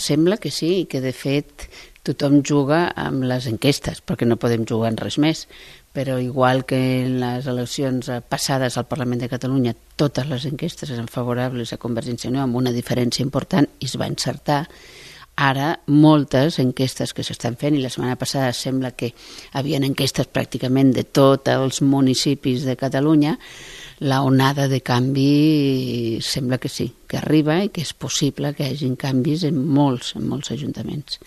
Sembla que sí, i que de fet tothom juga amb les enquestes, perquè no podem jugar en res més. Però igual que en les eleccions passades al Parlament de Catalunya totes les enquestes eren favorables a Convergència i Unió amb una diferència important i es va encertar, ara moltes enquestes que s'estan fent, i la setmana passada sembla que havien enquestes pràcticament de tots els municipis de Catalunya, la onada de canvi sembla que sí, que arriba i que és possible que hi hagi canvis en molts ajuntaments.